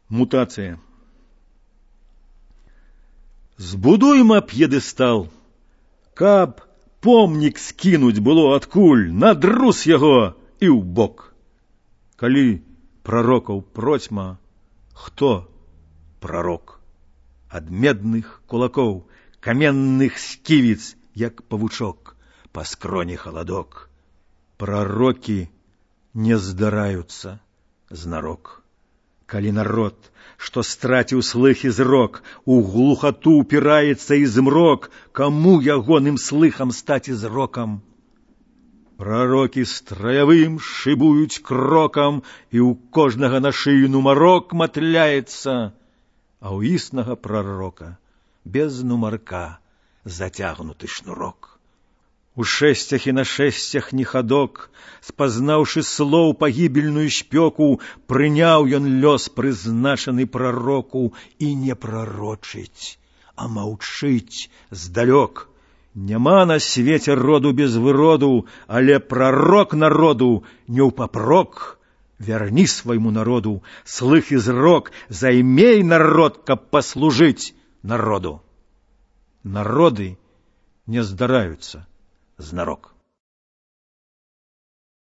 Мутація. Збудуйма п'єдестал, каб помнік скінуць было адкуль, надрус яго і ў бок. Калі прарокаў процьма, хто прарок? Ад медных кулакоў, каменных сківіц, як павучок, па скроні халадок. Пророкі не здараюцца знарок. Калі народ, што страціў слых і зрок, у глухату упіраецца і змрок, каму ягоным слыхам стаць і зрокам? Пророкі страявым шыбуюць крокам, і ў кожнага на шыю нумарок матляецца, а ў існага пророка без нумарка зацягнуты шнурок. У шэсцях і на шэсцях не хадок, спазнаўшы слоў пагібельную спёку, прыняў ён лёс прызначаны прароку і не прарочыць, а маўчыць здалёк. Няма на свеце роду без выроду, але прарок народу не ўпапрок. Вярні свайму народу слых і зрок, займей народ, каб паслужыць народу. Народы не здараюцца знарок.